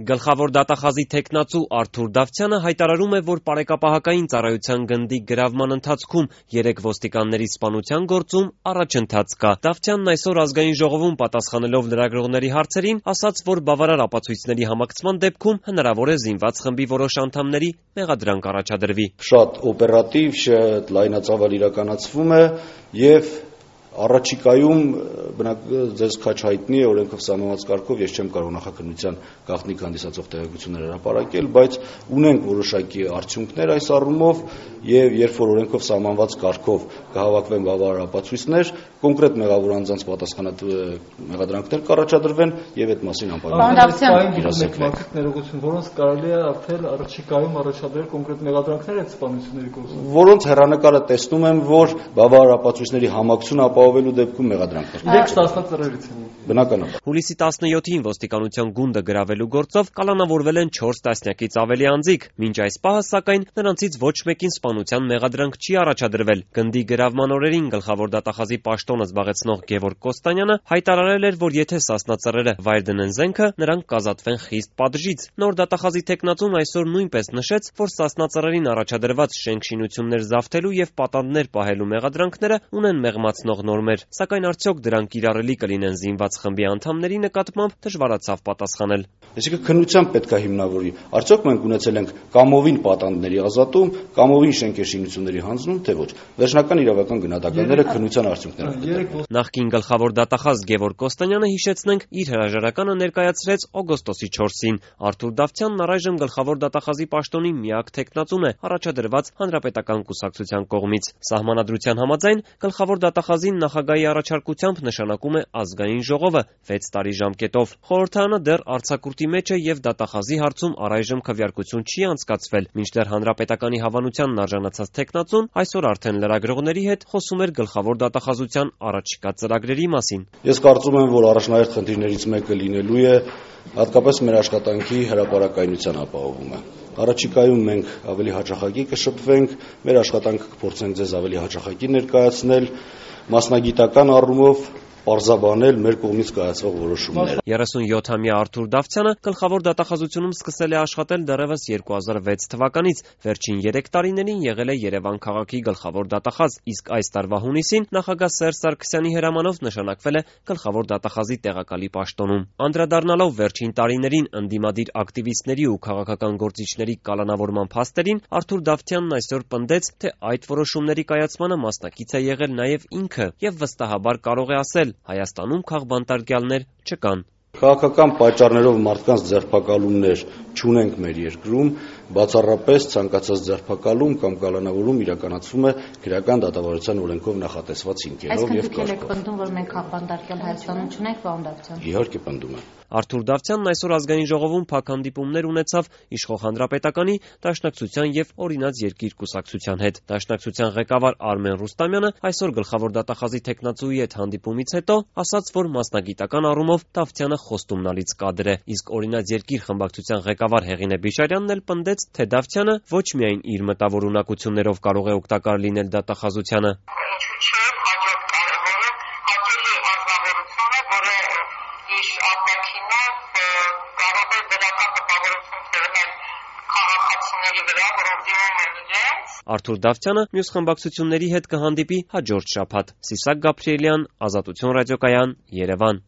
Գլխավոր դատախազի թեկնածու Արթուր Դավթյանը հայտարարում է, որ պարեկապահական ծառայության գնդի գրավման ընթացքում 3 ոստիկանների սպանության գործում առաջընթաց կա։ Դավթյանն այսօր ազգային ժողովում պատասխանելով լրագրողների հարցերին ասաց, որ բավարար ապացույցների համակցման դեպքում հնարավոր է զինված խմբի որոշ անդամների մեղադրանք առաջադրվի։ Շատ օպերատիվ, շատ լայնածավալ իրականացվում է եւ առաջիկայում ձեզ քաչ հայտնի է օրենքով սահմանված կարգով ես չեմ կարող նախաքննության գաղտնիք հանդիսացող տեղեկություններ հրապարակել, բայց ունենք որոշակի արդյունքներ այս առումով եւ երբ որ օրենքով սահմանված կարգով կհավաքվեն բավարար ապացույցներ, կոնկրետ մեղավոր անձանց պատասխանատու մեղադրանքներ կառաջադրվեն եւ այդ մասին որոնց կարելի է արդեն առաջիկայում առաջադրել կոնկրետ մեղադրանքներ այդ սպանությունների գործում, որոնց հեռանկարը տեսնում եմ, որ բավարար ապացույցների համակցությունը ապահովելու դեպքում մեղադրանքներ։ Իրենք ստացնածրերից են։ Բնականաբար։ Հուլիսի 17-ին ոստիկանության գունդը գրավելու գործով կալանավորվել են 4 տասնյակից ավելի անձիկ։ Մինչ այս պահը, սակայն, նրանցից ոչ մեկին սպանության մեղադրանք չի առաջադրվել։ Գնդի գրավման օրերին գլխավոր դատախազի պաշտոնը զբաղեցնող Գևորգ Կոստանյանը հայտարարել էր, որ եթե սասնածռերը վայր դնեն զենքը, նրանք կազատվեն խիստ պատժից։ Նոր դատախազի թեկնածուն այսօր նույնպես նշեց, որ սասնածռերին առաջադրված շենք-շինություններ զավթելու եւ պատանդներ պահելու մեղադրանքները ունեն մեղմացնող նորմեր, սակայն արդյոք դրանք կիրառելի կլինեն զինված խմբի անդամների նկատմամբ դժվարացավ պատասխանել։ Այսինքն քննությամբ պետք է հիմնավորի, արդյոք մենք ունեցել ենք կամովին պատանդների ազատում, կամովին շենքերշինությունների հանձնում, թե ոչ։ Վերջնական իրավական գնահատականները քննության արդյունքներն են։ Նախկին գլխավոր դատախազ Գևորգ Կոստանյանը, հիշեցնենք, իր հրաժարականը ներկայացրեց օգոստոսի 4-ին։ Արթուր Դավթյանն առայժմ գլխավոր դատախազի պաշտոնի միակ թեկնածուն է առաջադրված հանրապետական կուսակցության կողմից։ Սահմանադրության համաձայն գլխավոր դատախազին նախագահի առաջարկությամբ նշանակում է ազգային ժողովը 6 տարի ժամկետով։ Խորհրդարանը դեռ արձակուրդի մեջ է եւ դատախազի հարցում առայժմ քվեարկություն չի անցկացվել, մինչդեռ հանրապետականի հավանությանն արժանացած թեկնածուն այսօր արդեն լրագրողների հետ խոսում էր գլխավոր դատախազության առաջիկա ծրագրերի մասին։ Ես կարծում եմ, որ առաջնահերթ խնդիրներից մեկը լինելու է հատկապես մեր աշխատանքի հրապարակայնության ապահովումը։ Առաջիկայում մենք ավելի հաճախակի կշփվենք, մեր աշխատանքը կփորձենք ձեզ ավելի հաճախակի ներկայացնել, մասնագիտական առումով պարզաբանել մեր կողմից կայացվող որոշումները։ 37-ամյա Արթուր Դավթյանը գլխավոր դատախազությունում սկսել է աշխատել դեռևս 2006 թվականից, վերջին 3 տարիներին եղել է Երևան քաղաքի գլխավոր դատախազ, իսկ այս տարվա հունիսին նախագահ Սերժ Սարգսյանի հրամանով նշանակվել է գլխավոր դատախազի տեղակալի պաշտոնում։ Անդրադառնալով վերջին տարիներին ընդդիմադիր ակտիվիստների ու քաղաքական գործիչների կալանավորման փաստերին, Արթուր Դավթյանն այսօր պնդեց, թե այդ որոշումների կայացմանը մասնակից է եղել նաև ինքը եւ վստահաբար կարող է ասել, Հայաստանում քաղբանտարկյալներ չկան։ Քաղաքական պատճառներով մարդկանց ձերբակալումներ չունենք մեր երկրում, բացառապես ցանկացած ձերբակալում կամ կալանավորում իրականացվում է քրեական դատավարության օրենքով նախատեսված հիմքերով եւ կարգով։ Այսինքն պնդում, որ մենք քաղբանտարկյալ Հայաստանում չունենք, պարոն Դավթյան։ Իհարկե պնդում եմ։ Արթուր Դավթյանն այսօր ազգային ժողովում փակ հանդիպումներ ունեցավ իշխող հանրապետականի, Դաշնակցության եւ Օրինաց երկիր կուսակցության հետ։ Դաշնակցության ղեկավար Արմեն Ռուստամյանը այսօր գլխավոր դատախազի թեկնածուի հետ հանդիպումից հետո ասաց, որ մասնագիտական առումով Դավթյանը խոստումնալից կադր է, իսկ Օրինաց երկիր խմբակցության ղեկավար Հեղինե Բիշարյանն էլ պնդեց, թե Դավթյանը ոչ միայն իր մտավոր ունակություններով կարող է օգտակար լինել դատախազությանը, Արթուր Դավթյանը մյուս խմբակցությունների հետ կհանդիպի հաջորդ շաբաթ։ Սիսակ Գաբրիելյան, Ազատություն ռադիոկայան, Երևան։